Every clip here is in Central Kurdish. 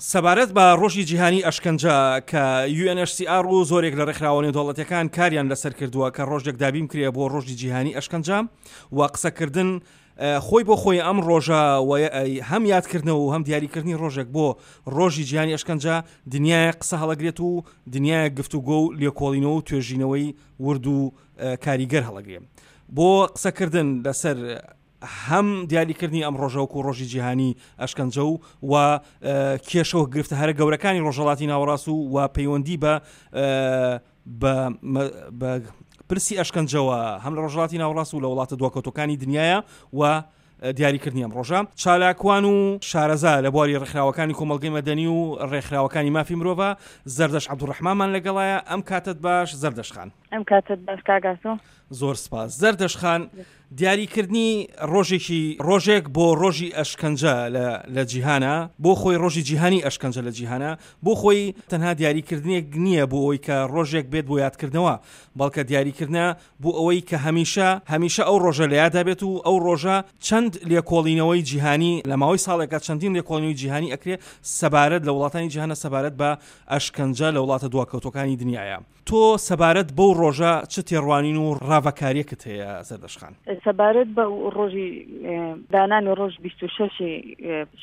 سەبارەت بە ڕۆژی جیهانی ئەشکەنجە کە UNHCR و زۆرێک لە ڕێکخراوە نێودەوڵەتیەکان کاریان لەسەر کردووە کە ڕۆژێک دابین کرێ بۆ ڕۆژی جیهانی ئەشکەنجە و قسەکردن خۆی بۆ خۆی ئەم ڕۆژە هەم یادکردنەوە و هەم دیاریکردنی ڕۆژێک بۆ ڕۆژی جیهانی ئەشکەنجە دنیای قسە هەڵەگرێت و دنیای گفتوگۆ و لێکۆڵینەوە و توێژینەوەی ورد و کاریگەر هەڵەگرێ بۆ قسەکردن لەسەر هەم دیاریکردنی ئەم ڕۆژە وەکو ڕۆژی جیهانی ئەشکەنجە و و کێشە و گرفتە هەرە گەورەکانی ڕۆژهەڵاتی ناوەڕاست و و پەیوەندی بە بە پرسی ئەشکەنجەوە هەم لە ڕۆژهەڵاتی ناوەڕاست و لە وڵاتە دواکەوتوەکانی دنیاە و دیاریکردنی ئەم ڕۆژە چالاکوان و شارەزا لە بواری ڕێکخراوەکانی کۆمەڵگەی مەدەنی و ڕێکخراوەکانی مافی مرۆڤە زەردەش عەبدولڕەحمانمان لەگەڵایە ئەم کاتت باش زەردەش خان. ئەم کاتت باش کاک ئاسۆ. زۆر سپاس زەردەش خان دیاریکردنی ڕۆژێکی ڕۆژێک بۆ ڕۆژی ئەشکەنجە لە جیهانە بۆ خۆی ڕۆژی جیهانی ئەشکەنجە لە جیهانە بۆ خۆی تەنها دیاریکردنێک نییە بۆ ئەوی کە ڕۆژێک بێت بۆ یادکردنەوە بەڵکە دیاریکردە بۆ ئەوەی کە هەمیشە هەمیشە ئەو ڕۆژە لە یادا بێت و ئەو ڕۆژە چەند لێکۆڵینەوەی جیهانی لە ماوەی ساڵێکە چەندین لێکۆڵینەوەی جیهانی ئەکرێ سەبارەت لە وڵاتانی جیهانە سەبارەت بە ئەشکەنجە لە وڵاتە دواکەوتوەکانی دنیاە. تۆ سەبارەت بەو ڕۆژە چ تێڕوانین و ڕاڤەکارییەکت هەیە زەردەشت خان؟ سەبارەت بە ڕۆژی دانانی ڕۆژ 26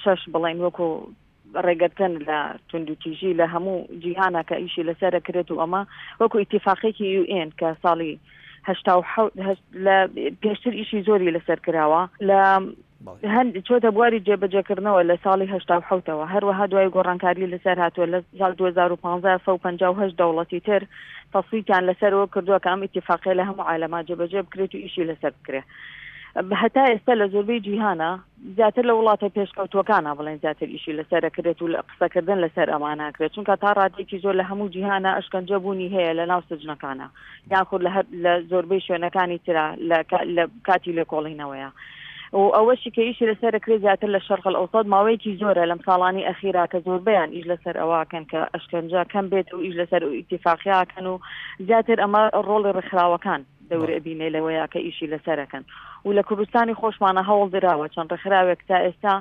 شەش بڵێین وەکو ڕێگرتن لە توندوتیژی لە هەموو جیهانە کە ئیشی لەسەر کرێت و ئەمە وەکو ئیتیفاقێکی یوئێن کە ساڵی هەشت لە پێشتر ئیشی زۆری لەسەر کراوە لە هەند چۆتە بواری جێبەجێکردنەوە لە ساڵی 87ەوە هەروەها دوای گۆڕانکاری لەسەر هاتووە لە ساڵ 2015 158 دەوڵەتی تر تەسویتیان لەسەرەوە کردووە کە ئەم ئیتیفاقیە لە هەموو عالەما جێبەجێ بکرێت و ئیشی لەسەر بکرێت هەتا ئێستا لە زۆربەی جیهانە زیاتر لە وڵاتە پێشکەوتووەکانە بڵێن زیاتر ئیشی لەسەر کرێت و لە قسەکردن لەسەر ئەماناکرێت چونکە تا ڕادێکی زۆر لە هەموو جیهانە ئەشکەنجە بوونی هەیە لە ناو سجنەکانە یاخود لە هەر لە زۆربەی شوێنەکانی ترا لە کاتی لێکۆڵینەوەیە و ئەوەشی کە ئیشی لەسەر کرێ زیاتر لە شەرق ئەوسەد ماوەیەکی زۆرە لەم ساڵانی ئەخیرا کە زۆربیان ئیش لەسەر ئەوەکەن کە ئەشکەنجە کەم بێت و ئیش لەسەر ئیتیفاقیاکەن و زیاتر ئەمە ڕۆڵی ڕێکخراوەکان دەور ئەبینێ لەوەیە کە ئیشی لەسەرەکەن و لە کوردستانی خۆشمانە هەوڵ دراوە چەند ڕێکخراوێک تا ئێستا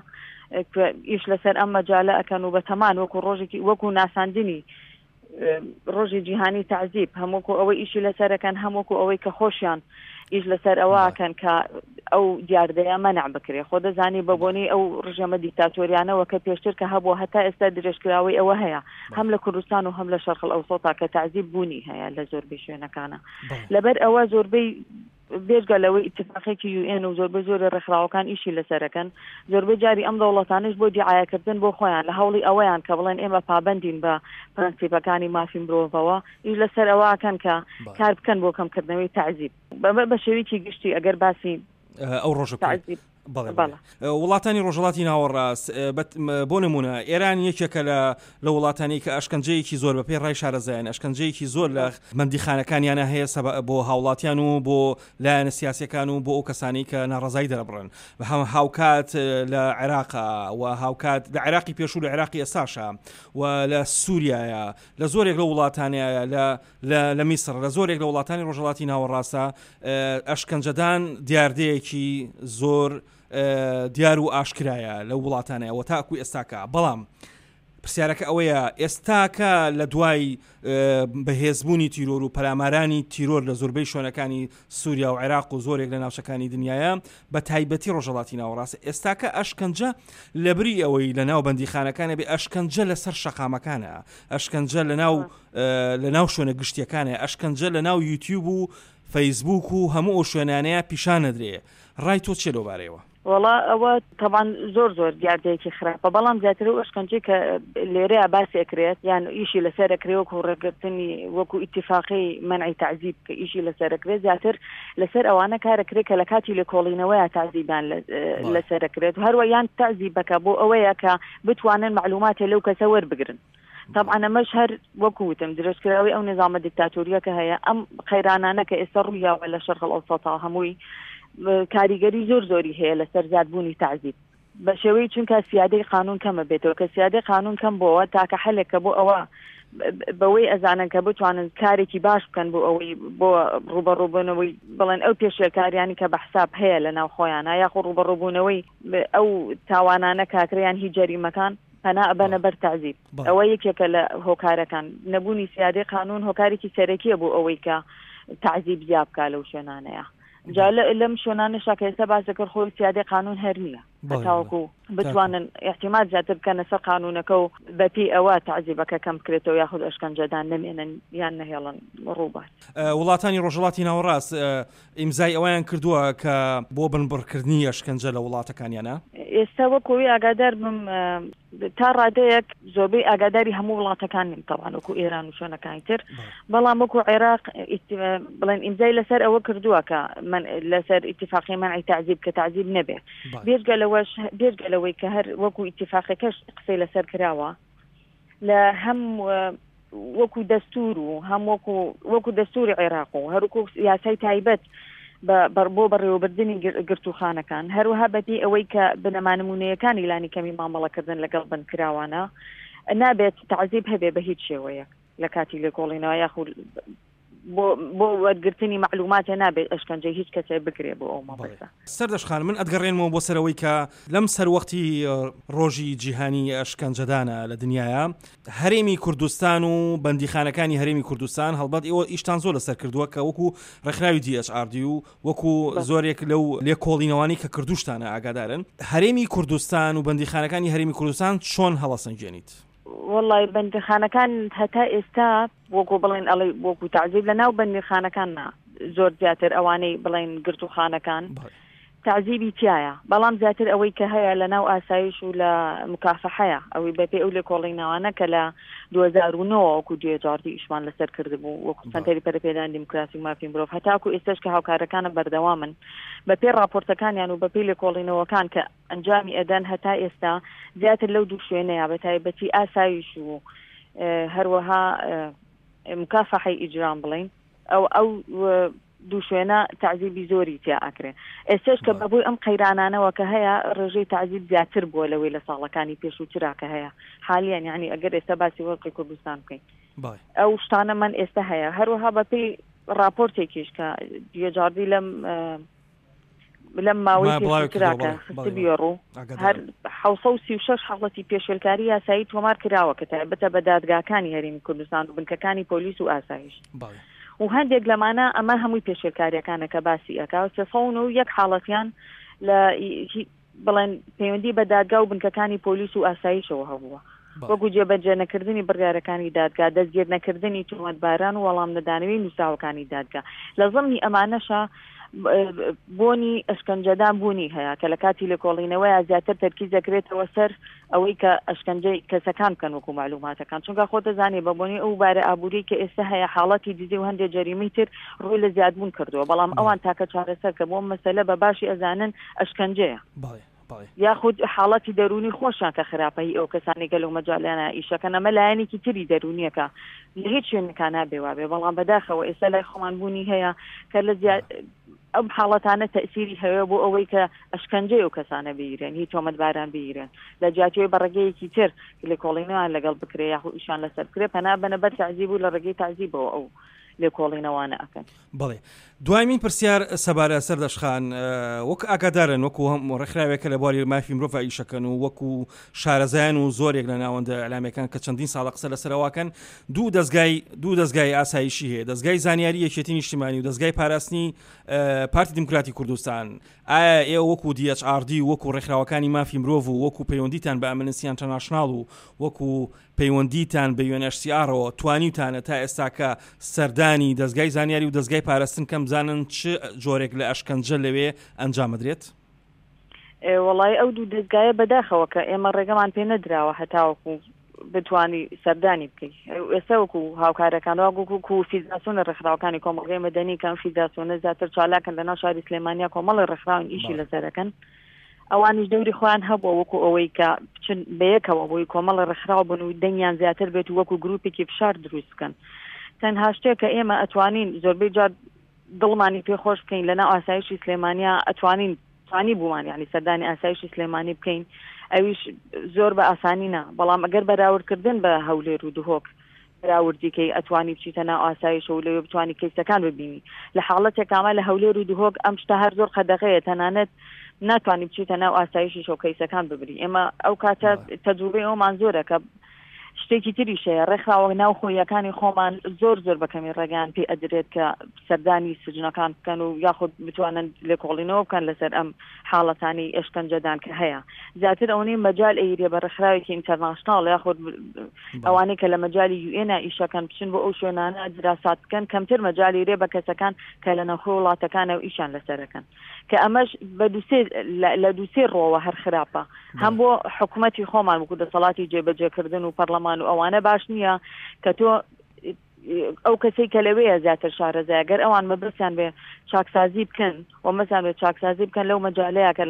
ئیش لەسەر ئەم مەجالە ئەکەن و بەتەمان وەکو ڕۆژێکی وەکو ناساندنی ڕۆژی جیهانی تەعزیب هەم وەکو ئەوەی ئیشی لەسەرەکەن هەم وەکو ئەوەی کە خۆشیان ئیش لەسەر ئەوەکەن کە ئەو دیاردەیە مەنع بکرێ خۆ دەزانی بە بۆنەی ئەو ڕژێمە دیکتاتۆریانەوە کە پێشتر کە هەبووە هەتا ئێستا درێژکراوەی ئەوە هەیە هەم لە کوردستان و هەم لە شەرق ئەوسەتا کە تەعزیب بوونی هەیە لە زۆربەی شوێنەکانە لەبەر ئەوە زۆربەی بێجگە لەوەی ئیتفاقێکی یو ئێن و زۆربەی زۆری ڕێکخراوەکان ئیشی لەسەرەکەن، زۆربەی جاری ئەم دەوڵەتانەش بۆ دیعایەکردن بۆ خۆیان لە هەوڵی ئەوەیان کە بڵێن ئێمە پابەندین بە پرەنسیپەکانی مافی مرۆڤەوە، ئیش لەسەر ئەوە ئەکەن کە کار بکەن بۆ کەمکردنەوەی تەعزیب. بە بە شێوەیەکی گشتی ئەگەر باسی ئەو ڕۆژە بکەین. بەڵێ بەڵێ. وڵاتانی ڕۆژهەڵاتی ناوەڕاست بۆ نمونە ئێران یەکێکە لە لە وڵاتانی کە ئەشکەنجەیەکی زۆر بە پێی ڕای شارەزایان ئەشکەنجەیەکی زۆر لە بەندیخانەکانیانە هەیە سەبە بۆ هاوڵاتیان و بۆ لایەنە سیاسەکان و بۆ ئەو کەسانی کە ناڕزایی دەرەبڕن هاوکات لە عێراقا و هاوکات لە عێراقی پێشوو لە عێراقی ئێستاشە و لە سووریایە لە زۆرێک لە وڵاتانەیە لە لە لە میسڕ لە زۆرێک لە وڵاتانی ڕۆژهەڵاتی ناوەڕاستە ئەشکەنجەدان دیاردەیەکی زۆر دیار و ئاشکرایە لەو وڵاتانەیە و تاکو ئێستاکە بەڵام پرسیارەکە ئەوەیە ئێستاکە لە دوای بەهێزبوونی تیرۆر و پەلامارانی تیرۆر لە زۆربەی شوێنەکانی سووریا و عێراق و زۆرێک لە ناوچەکانی دنیاە بە تایبەتی ڕۆژهەڵاتی ناوەڕاست ئێستاکە ئەشکەنجە لەبری ئەوەی لە ناو بەندیخانەکانە بێ ئەشکەنجە لەسەر شەقامەکانە ئەشکەنجە لە ناو لە ناو شوێنە گشتیەکانە ئەشکەنجە لە ناو یوتیوب و فەیسبوک و هەموو ئەو شوێنانەیە پیشان نەدرێ ڕای تۆ چیە لەو بارەیەوە؟ وەڵا ئەوە تەبان زۆر زۆر دیاردەیەکی خراپە بەڵام زیاتر ئەو ئەشکەنجەی کە لێرەیا باسی ئەکرێت یان ئیشی لەسەر ئەکرێ وەکو ڕێگرتنی وەکو ئیتیفاقی مەنعی تەعزیب کە ئیشی لەسەر ئەکرێت زیاتر لەسەر ئەوانە کار ئەکرێت کە لە کاتی لێکۆڵینەوەیا تەعزیبیان لەسەر ئەکرێت هەروە یان تەعزیبەکە بۆ ئەوەیە کە بتوانن مەعلوماتێ لەو کەسە وەربگرن. تەبعەن ئەمەش هەر وەکو وتم درێژکراوەی ئەو نیزامە دیکتاتۆریە کە هەیە ئەم قەیرانانە کە ئێستا ڕوویاوە لە شەرق ئەوسەتا هەمووی کاریگەری زۆر زۆری هەیە لەسەر زیادبوونی تەعزیب بە شێوەی چونکە سیادەی قانون کەمە بێتەوە کە سیادەی قانون کەم بۆوە تاکە حەلێک کە بۆ ئەوە بەوەی ئەزانن کە بتوانن کارێکی باش بکەن بۆ ئەوەی بۆ ڕوبەڕوبوونەوەی بڵێن ئەو پێشێلکاریانی کە بە حساب هەیە لە ناو خۆیانە یاخۆ ڕوبەڕوبوونەوەی ئەو تاوانانە کاکریان هی جەریمەکان. پەنا ئەبەنە بەر تەعزیب. ئەوە یەکێکە لە هۆکارەکان. نەبوونی سیادەی قانوون هۆکارێکی سەرەکیە بۆ ئەوەی کە تەعزیب زیا بکا لەو شوێنانەیە. جا لەم شوێنانەشا کە ئێستا باس دەکرد خۆی سیادەی قانوون هەر نییە. هەتاوەکو بتوانن ئیعتیماد زیاتر بکەنە سەر قانوونەکە و بەپێی ئەوە تەعزیبەکە کەم بکرێتەوە یاخود ئەشکەنجەدان نەمێنن یان نەهێڵن ڕووبات. وڵاتانی ڕۆژهەڵاتی ناوەڕاست ئیمزای ئەوەیان کردووە کە بۆ بنبڕکردنی ئەشکەنجە لە وڵاتەکانیانە؟ ئێستا وەک ئەوەی ئاگادار بم تا ڕادەیەک زۆربەی ئاگاداری هەموو وڵاتەکان نیم تەوان وەکو ئێران و شوێنەکانی تر بەڵام وەکو عێراق بڵێن ئیمزای لەسەر ئەوە کردووە کە من لەسەر ئیتفاقی مەنعی تەعزیب کە تەعزیب نەبێ بێجگە لەوەش بێجگە لەوەی کە هەر وەکو ئیتفاقەکەش قسەی لەسەر کراوە لە هەم وەکو دەستور و هەم وەکو وەکو دەستوری عێراق و هەروکو یاسای تایبەت بۆ بەڕێوەبردنی گرتووخانەکان هەروەها بەپێی ئەوەی کە بنەما نمونەیەکانی لانی کەمی مامەڵەکردن لەگەڵ بەندکراوانە نابێت تەعزیب هەبێ بە هیچ شێوەیەک لە کاتی لێکۆڵینەوە یاخود بۆ بۆ وەرگرتنی مەعلوماتێ نابێت ئەشکەنجەی هیچ کەسێ بکرێ بۆ ئەو مەبەستە. سەردەشت خان من ئەتگەڕێنمەوە بۆ سەر ئەوەی کە لەم سەروەختی ڕۆژی جیهانی ئەشکەنجەدانە لە دنیایا هەرێمی کوردستان و بەندیخانەکانی هەرێمی کوردستان هەڵبەت ئێوە ئیشتان زۆر لەسەر کردووە کە وەکو ڕێکخراوی DHRD و وەکو زۆرێک لەو لێکۆڵینەوانی کە کردوشتانە ئاگادارن هەرێمی کوردستان و بەندیخانەکانی هەرێمی کوردستان چۆن هەڵەسەنگێنیت؟ وەڵای بەندیخانەکان هەتا ئێستا وەکو بڵێن ئەڵێ وەکو تەعزیب لە ناو بەندیخانەکان نا زۆر زیاتر ئەوانەی بڵێن گرتوخانەکان تەعزیبی تایە بەڵام زیاتر ئەوەی کە هەیە لە ناو ئاسایش و لە مکافحەیە ئەوەی بەپێ ئەو لێکۆڵینەوانە کە لە 2009 وەکو دوێجاردی ئیشمان لەسەر کردبوو وەکو سەنتەری پەرەپێدان دیموکراسی و مافی مرۆڤ هەتاکو ئێستاش کە هاوکارەکانە بەردەوامن بەپێ راپۆرتەکانیان و بەپێی لێکۆڵینەوەکان کە ئەنجامی ئەدەن هەتا ئێستا زیاتر لەو دوو شوێنەیە بە تایبەتی ئاسایش و هەروەها مکافحەی ئیجرام بڵین ئەو ئەو دوو شوێنە تعزیبی زۆری تیا ئەکرێ ئێستش کە بەبووی ئەم قەیرانانەوە کە هەیە ڕێژەی تعزیب زیاتر بووە لەوەی لە ساڵەکانی پێشووترا کە هەیە حالیان یعنی ئەگەر ئێستا باسی وەزعی کوردستان بکەین ئەو شتانە من ئێستا هەیە هەروەها بەپێی راپۆرتێکیش کە جیاجاردی لەم لەم ماوەی پێشووترا کە خستبوویە ڕوو، هەر 736 حاڵەتی پێشێلکاری یاسایی تۆمار کراوە کە تایبەتە بە دادگاکانی هەرێمی کوردستان و بنکەکانی پۆلیس و ئاسایش و هەندێک لەمانە ئەمە هەمووی پێشێلکاریەکانە کە باسی ئەکا و 391 حاڵەتیان لە بڵێن پەیوەندی بە دادگا و بنکەکانی پۆلیس و ئاسایشەوە هەبووە وەکو جێبەجێ نەکردنی بڕیارەکانی دادگا، دەستگیر نەکردنی تۆمەتباران و وەڵام نەدانەوەی نووسراوەکانی دادگا. لە زمنی ئەمانەشا بۆنی ئەشکەنجەدان بوونی هەیە کە لە کاتی لێکۆڵینەوەیا زیاتر تەرکیز دەکرێتەوە سەر ئەوەی کە ئەشکەنجەی کەسەکان بکەن وەکو مەعلوماتەکان چونکە خۆت دەزانی بە بۆنەی ئەو بارە ئابووریەی کە ئێستا هەیە حاڵەتی دزی و هەندێک جەریمەی تر ڕووی لە زیادبوون کردووە بەڵام ئەوان تاکە چارەسەر کە بۆ مەسەلە بە باشی ئەزانن ئەشکەنجەیە. یاخود حاڵەتی دەروونی خۆشیان کە خراپە هی ئەو کەسانەی کە لەو مەجالانە ئیشەکەن ئەمە لایەنێکی تری دەروونیەکە لە هیچ شوێنێکا نابێ وابێ بەڵام بەداخەوە ئێستا لای خۆمان بوونی هەیە کە لە زیاد ئەم حاڵەتانە تەئسیری هەیە بۆ ئەوەی کە ئەشکەنجەی ئەو کەسانە بگیرێن هی تۆمەتباران بگیرێن لە جیاتیەوەی بە ڕێگەیەکی تر لێکۆڵینەوەیان لەگەڵ بکرێ یاخود ئیشان لەسەر بکرێ پەنا بەنە بەر تەعزیب و لە ڕێگەی تەعزیبەوە ئەو لێکۆڵینەوانە ئەکەن. بەڵێ دوایمین پرسیار سەبارە سەردەشت خان وەک ئاگادارن وەکو هەم ڕێکخراوێکە لە بواری مافی مرۆڤ ئیشەکەن و وەکو شارەزایان و زۆرێک لە ناوەندە ئەلامیەکان کە چەندین ساڵە قسە لەسەرەواکەن دوو دەستگای دوو دەستگای ئاسایشی هەیە دەستگای زانیاری یەکێتی نیشتیمانی و دەستگای پاراستنی پارتی دیموکراتی کوردستان ئایا ئێوە وەکو DHRD و وەکو ڕێکخراوەکانی مافی مرۆڤ و وەکو پەیوەندیتان بە ئەمنستی ئینتەرناشناڵ و وەکو پەیوەندیتان بە UNHCR-ەوە توانیوتانە تا ئێستاکە سەردانی دەزگای زانیاری و دەزگای پاراستن کەن بزانن چ جۆرێک لە ئەشکەنجە لەوێ ئەنجامەدرێت؟ وەڵایی ئەو دوو دەزگایە بەداخەوە کە ئێمە ڕێگەمان پێ نەدراوە هەتاوەکو بتوانی سەردانی بکەی ئێستا وەکو هاوکارەکان وەکو فیدراسیۆنە ڕێکخراوەکانی کۆمەڵگەی مەدەنی کە ئەم فیدراسیۆنە زیاتر چالاکن لەناو شاری سلێمانیا کۆمەڵی ڕێکخراون ئیشی لەسەرەکەن ئەوانیش دەوری خۆیان هەبووە وەکو ئەوەی کە بچن بەیەکەوە بۆی کۆمەڵی ڕێکخراو بن و دەنگیان زیاتر بێت و وەکو گروپێکی فشار دروست بکەن تەنها شتێک کە ئێمە ئەتوانین زۆربەی جار دڵمانی پێ خۆش بکەین لەناو ئاسایشی سلێمانیا ئەتوانین توانی بوومان یعنی سەردانی ئاسایشی سلێمانی بکەین ئەویش زۆر بە ئاسانی نا بەڵام ئەگەر بەراوردکردن بە هەولێر و دهۆک. بەراوردی کەی ئەتوانی بچیتە ناو ئاسایشەوە و لەوێ بتوانی کەیسەکان ببینی. لە حاڵەتێکا ئەمە لە هەولێر و دهۆک ئەم شتە هەر زۆر قەدەغەیە تەنانەت ناتوانی بچیتە ناو ئاسایشیشەوە کەیسەکان ببری. ئێمە ئەو کاتە تەجروبەی ئەومان زۆرە کە شتێکی تریش هەیە ڕێکخراوە ناوخۆییەکانی خۆمان زۆر زۆر بە کەمی ڕێگەیان پێ ئەدرێت کە سەردانی سجنەکان بکەن و یاخود بتوانن لێکۆڵینەوە بکەن لەسەر ئەم حاڵەتانی ئێشکەنجەدان کە هەیە زیاتر ئەوەی مەجال ئەیرێ بە ڕێکخراوێکی ئینتەرناشناڵ یاخود ئەوانەی کە لە مەجالی یوئێنا ئیشەکەن بچن بۆ ئەو شوێنانە دراسات بکەن کەمتر مەجالی رێ بە کەسەکان کە لە ناوخۆ وڵاتەکانە و ئیشان لەسەرەکەن کە ئەمەش بە دوسێ لە دوسێ ڕۆوە هەر خراپە هەم بۆ حکوومەتی خۆمان وەکو دەسەڵاتی جێبەجێکردن و پەرلەمان و ئەوانە باش نییە کە تۆ ئەو کەسەی کە لەوەیە زیاتر شارەزای گەر ئەوان مەبەستیان بێ چاکسازی بکەن و مەسان بێ چاکسازی بکەن لەو مەجالەیە کە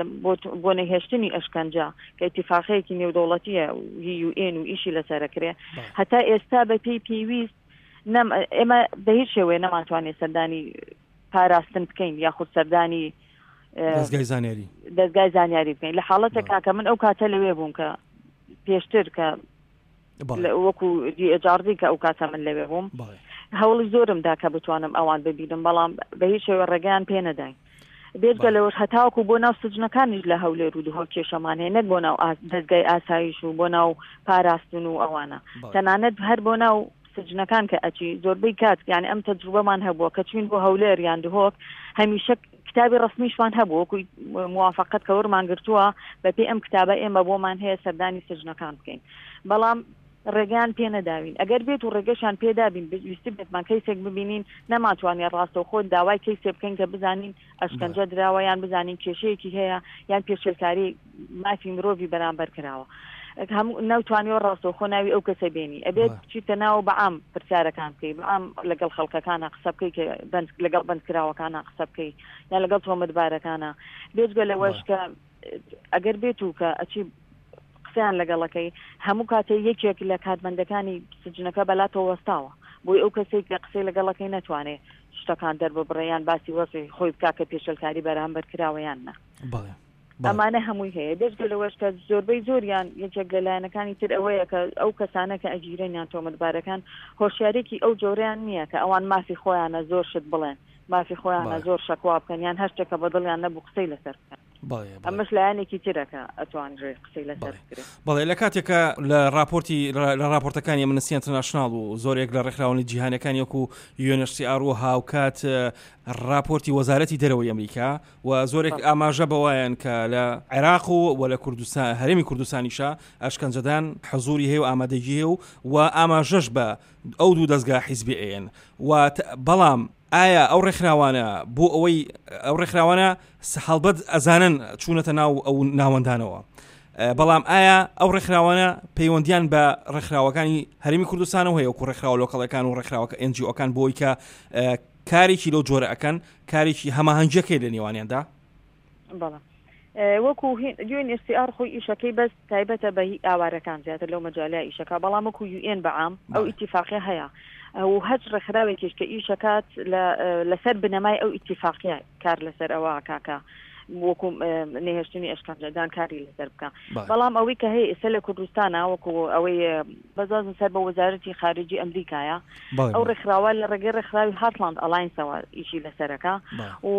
بۆ نەهێشتنی ئەشکەنجە کە ئیتیفاقەیەکی نێودەوڵەتیە هی یوئێن و ئیشی لەسەرەکرێ هەتا ئێستا بە پێی پێویست نەم ئێمە بە هیچ شێوەیە نەمانتوانێت سەردانی پاراستن بکەین یاخود سەردانی دەستگای زانیاری دەستگای زانیاری بکەین لە حاڵەتێکا کە من ئەو کاتە لەوێ بووم کە پێشتر کە وەکو دیجاڕدی کە ئەو کاتە من لەوێ بووم هەوڵی زۆرم دا کە بتوانم ئەوان ببینم بەڵام بە هیچ شێوە ڕێگەیان پێ نەداین بێجگە لەوەش هەتاوەکو بۆ ناو سجنەکانیش لە هەولێر و دهۆک کێشەمان هەیە نەک بۆ ناو دەستگای ئاسایش و بۆ ناو پاراستن و ئەوانە تەنانەت هەر بۆ ناو سجنەکان کە ئەچی زۆربەی کات یعنی ئەم تەجروبەمان هەبووە کە چوین بۆ هەولێر یان دهۆک هەمیشە کتابی ڕسمیشمان هەبوو وەکو موافقەت کە وەرمان گرتووە بەپێی ئەم کتابە ئێمە بۆمان هەیە سەردانی سجنەکان بکەین بەڵام ڕێگەیان پێ نەداوین ئەگەر بێت و ڕێگەشان پێدابین ویستبێتمان کەیسێک ببینین نەمانتوانێت ڕاستەوخۆ داوای کەیسێ بکەین کە بزانین ئەشکەنجە دراوە یان بزانین کێشەیەکی هەیە یان پێشێلکاری مافی مرۆڤی بەرامبەر کراوە هەموو ناوتوانیەوە ڕاستەوخۆ ناوی ئەو کەسە بێنی ئەبێت بچیتە ناو بەعام پرسیارەکان بکەی بەعام لەگەڵ خەڵکەکانە قسە بکەی کە بەند لەگەڵ بەندکراوەکانە قسە بکەی یان لەگەڵ تۆمەتبارەکانە بێجگە لەوەش کە ئەگەر بێت و کە ئەچی قسەیان لەگەڵەکەی هەموو کاتێ یەکێک لە کارمەندەکانی سجنەکە بەلاتەوە وەستاوە بۆی ئەو کەسێک کە قسەی لەگەڵەکەی نەتوانێ شتەکان دەرببڕێ یان باسی وەزعی خۆی بکا کە پێشێلکاری بەرامبەر کراوە یان نا. بەڵێ. ئەمانە هەمووی هەیە بێجگە لەوەش کە زۆربەی زۆریان یەکێک لە لایەنەکانی تر ئەوەیە کە ئەو کەسانە کە ئەگیرێن یان تۆمەتبارەکان هۆشیارێکی ئەو جۆرەیان نییە کە ئەوان مافی خۆیانە زۆر شت بڵێن مافی خۆیانە زۆر شەکوا بکەن یان هەر شتێک کە بە دڵیان نەبوو قسەی لەسەر بکەن. ئەمەش لایەنێکی ترە کە ئەتوانرێت قسەی لەسەر بکرێت. بەڵێ لە کاتێکا لە ڕاپۆرتی لە ڕاپۆرتەکانی ئەمنستی ئینتەرناشناڵ و زۆرێک لە ڕێکخراوە جیهانیەکانی وەکو UNHCR و هاوکات ڕاپۆرتی وەزارەتی دەرەوەی ئەمریکا و زۆرێک ئاماژە بەوایان کە لە عێراق و و لە کوردستان هەرێمی کوردستانیشە ئەشکەنجەدان حزوری هەیە و ئامادەگی هەیە و و ئاماژەش بە ئەو دوو دەستگا حیزبی ئەیەن و بەڵام ئایا ئەو ڕێکخراوانە بۆ ئەوەی ئەو ڕێکخراوانە هەڵبەت ئەزانن چوونەتە ناو ئەو ناوەندانەوە بەڵام ئایا ئەو ڕێکخراوانە پەیوەندیان بە ڕێکخراوەکانی هەرمی کوردستانەوە هەیە وەکو ڕێکخراوە لۆکەڵەکان و ڕێکخراوەکە ئەنجیۆکان بۆی کە کارێکی لەو جۆرە ئەکەن کارێکی هەماهەنگیەکەی لە نێوانیاندا؟ بەڵێ وەکو یوئێن ئێس سی ئاڕ خۆی ئیشەکەی بەس تایبەتە بە هی ئاوارەکان زیاتر لەو مەجالە ئیشەکە بەڵام وەکو یوئێن بەعام ئەو ئیتیفاقیە هەیە و هەچ ڕێکخراوێکیش کە ئیشەکات لەسەر بنەمای ئەو ئیتیفاقیە کار لەسەر ئەوە کاکە وەکو نەهێشتنی ئەشکەنجەدان کاری لەسەر بکە بەڵام ئەوەی کە هەیە ئێستا لە کوردستانە وەکو ئەوەی بەزازن سەر بە وەزارەتی خارجی ئەمریکایە ئەو ڕێکخراوە لە ڕێگەی ڕێکخراوی هارتلاند ئەلاینسەوە ئیشی لەسەرەکە و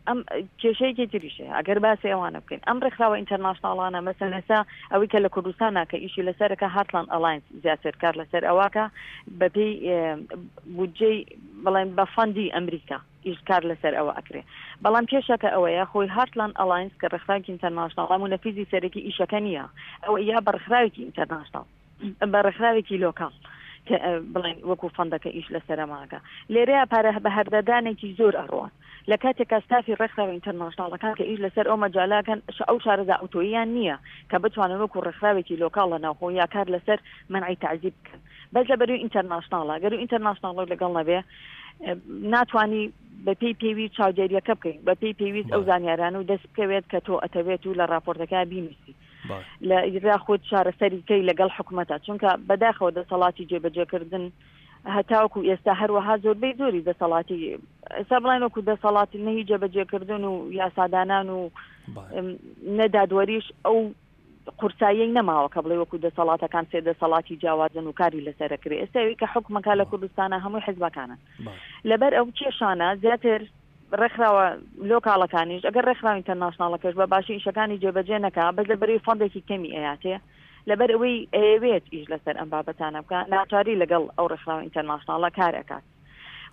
ئەم کێشەیەکی تریش هەیە ئەگەر باسی ئەوانە بکەین ئەم ڕێکخراوە ئینتەرناشناڵانە مەسەن ئێستا ئەوەی کە لە کوردستانە کە ئیشی لەسەرەکە هارتلاند ئەلاینس زیاتر کار لەسەر ئەوەکە بەپێی بودجەی بڵێن بە فەندی ئەمریکا ئیش کار لەسەر ئەوە ئەکرێ بەڵام کێشەکە ئەوەیە خۆی هارتلاند ئەلاینس کە ڕێکخراوێکی ئینتەرناشناڵە مونەفیزی سەرەکی ئیشەکە نییە ئەوە یا بە ڕێکخراوێکی ئینتەرناشناڵ بە ڕێکخراوێکی لۆکاڵ کە بڵێن وەکو فەندەکە ئیش لەسەرەماکە لێرەیە پارە بە هەردەدانێکی زۆر ئەڕوات لە کاتێکا ستافی ڕێکخراوە ئینتەرناشناڵەکان کە ئیش لەسەر ئەو مەجالاکەن ئەو شارەزا ئەوتۆییان نییە کە بتوانن وەکو ڕێکخراوێکی لۆکاڵ لە ناوخۆ یا کار لەسەر مەنعی تەعزیب بکەن بەس لە بەروی ئینتەرناشناڵە گەر ئینتەرناشناڵ لەگەڵ نەبێ ناتوانانی بەپێی پێویست چاودێریەکە بکەین بەپێی پێویست ئەو زانیارانە و دەست بکەوێت کە تۆ ئەتەوێت و لە راپۆرتەکە بینوسی لە یاخود چارەسەری کەی لەگەڵ حکومەتە چونکە بەداخەوە دەسەڵاتی جێبەجێکردن هەتاوەکو ئێستا هەروەها زۆربەی زۆری دەسەڵاتی ئێستا بڵێن وەکو دەسەڵاتی نەهی جێبەجێکردن و یاسادانان و نەدادوەریش ئەو قورساییەی نەماوە کە بڵێ وەکو دەسەڵاتەکان سێ دەسەڵاتی جیاوازن و کاری لەسەر ئەکرێ ئێستا ئەوی کە حوکمەکە لە کوردستانە هەمووی حزبەکانن لەبەر ئەو کێشانە زیاتر ڕێکخراوە لۆکاڵەکانیش ئەگەر ڕێکخراوە ئینتەرناشناڵەکەش بە باشی ئیشەکانی جێبەجێ نەکا بەس لەبەرەوەی فەندێکی کەمی ئەیاتێ لەبەر ئەوەی ئەیەوێت ئیش لەسەر ئەم بابەتانە بکا ناچاری لەگەڵ ئەو ڕێکخراوە ئینتەرناشناڵە کار ئەکات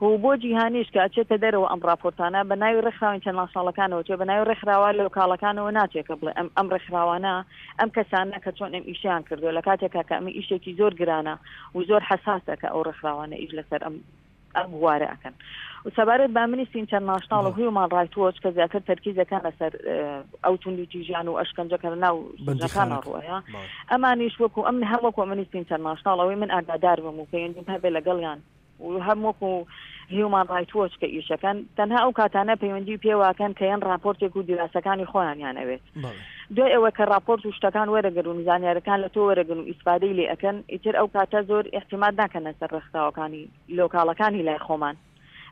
و بۆ جیهانیش کە ئەچێتە دەرەوە ئەم ڕاپۆرتانە بە ناوی ڕێکخراوە ئینتەرناشناڵەکانەوە چێ بە ناوی ڕێکخراوە لۆکاڵەکانەوە ناچێت کە بڵێ ئەم ئەم ڕێکخراوانە ئەم کەسانە کە چۆن ئەم ئیشیان کردووە لە کاتێکا کە ئەمە ئیشێکی زۆر گرانە و زۆر حەساسە کە ئەو ڕێکخراوانە ئیش لەسەر ئەم ئەم بوارە ئەکەن و سەبارەت بە ئەمنیستی ئینتەرناشناڵ و هیومان ڕایت وۆچ کە زیاتر تەرکیز دەکەن لەسەر ئەو توندوتیژیان و ئەشکەنجە کە لە ناو سجنەکانە ڕووەیە ئەمانیش وەکو ئەم هەم وەکو ئەمنیستی ئینتەرناشناڵ ئەوەی من ئاگادار بم و پەیوەندیم هەبێ لەگەڵیان و هەم وەکو هیومان ڕایت وۆچ کە ئیشەکەن تەنها ئەو کاتانە پەیوەندی پێواکەن کە یەن راپۆرتێک و دیراسەکانی خۆیانیان ئەوێت دوای ئەوە کە راپۆرت و شتەکان وەرەگرن و زانیارەکان لە تۆ وەرەگرن و ئیسفادەی لێ ئەکەن ئیتر ئەو کاتە زۆر ئیعتیماد ناکەنە سەر ڕێکخراوەکانی لۆکاڵەکانی لای خۆمان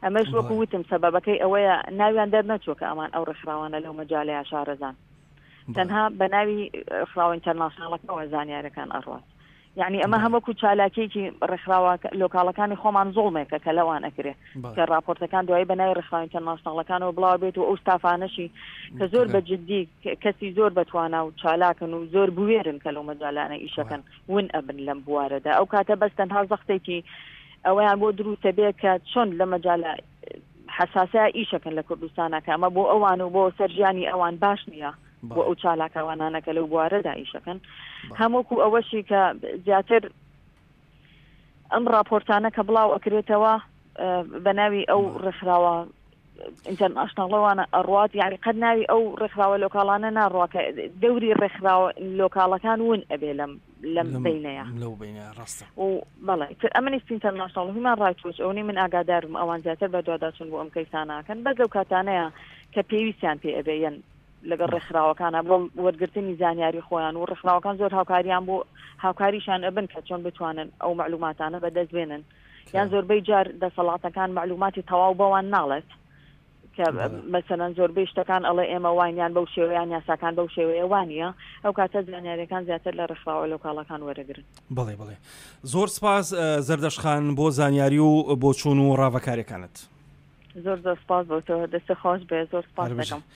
ئەمەش وەکو وتم سەبەبەکەی ئەوەیە ناویان دەرنەچووە کە ئەمان ئەو ڕێکخراوانە لەو مەجالەیە شارەزان تەنها بە ناوی ڕێکخراوە ئینتەرناشناڵەکەەوە زانیارەکان ئەڕوات یعنی ئەمە هەم وەکو چالاکیەکی ڕێکخراوە لۆکاڵەکانی خۆمان زوڵمێکە کە لەوان ئەکرێ کە ڕاپۆرتەکان دوایی بە ناوی ڕێکخراوە ئینتەرناشناڵەکانەوە بڵاو بێت و ئەو ستافانەشی کە زۆر بە جدی کەسی زۆر بەتوانا و چالاکن و زۆر بوێرن کە لەو مەجالانە ئیشەکەن ون ئەبن لەم بوارەدا ئەو کاتە بەس تەنها زەختێکی ئەوەیان بۆ دروستە بێ کە چۆن لە مەجالە حەساسە ئیشەکەن لە کوردستانە کە ئەمە بۆ ئەوان و بۆ سەرژیانی ئەوان باش نییە بۆ ئەو چالاکەوانانە کە لەو بوارەدا ئیشەکەن هەمووکو ئەوەشی کە زیاتر ئەم راپۆرتانە کە بڵاو ئەکرێتەوە بە ناوی ئەو ڕێکخراوە ئینتەرناشناڵەوانە ئەڕوات یعنی قەت ناوی ئەو ڕێکخراوە لۆکاڵانە ناڕوا کە دەوری ڕێکخراوە لۆکاڵەکان ون ئەبێ لەم لەم بینەیە لەو بینە ڕاستە و بەڵێ تر ئەمنیستی ئینتەرناشناڵ هیومان ڕایت وۆچ ئەوەی من ئاگادارم ئەوان زیاتر بەدواداچوون بۆ ئەم کەیسانەکەن بەس لەو کاتانەیە کە پێویستیان پێ ئەبێ یەن لەگەڵ ڕێکخراوەکانە بۆ وەرگرتنی زانیاری خۆیان و ڕێکخراوەکان زۆر هاوکاریان بۆ هاوکاریشان ئەبن کە چۆن بتوانن ئەو معلوماتانە بەدەست بێنن یان زۆربەی جار دەسەڵاتەکان معلوماتی تەواو بەوان ناڵێت کە مەسەلەن زۆربەی شتەکان ئەڵێ ئێمە واین یان بەو شێوەیان یاساکان بەو شێوەیە وانە ئەو کاتە زانیاریەکان زیاتر لە ڕێکخراوە لۆکاڵەکان وەرەگرن. بەڵێ بەڵێ زۆر سپاس زەردەشت خان بۆ زانیاری و بۆچوون و ڕاڤەکاریەکانت. زۆر زۆر سپاس بۆ تۆ دەستت خۆش بێ زۆر سپاس دەکەم.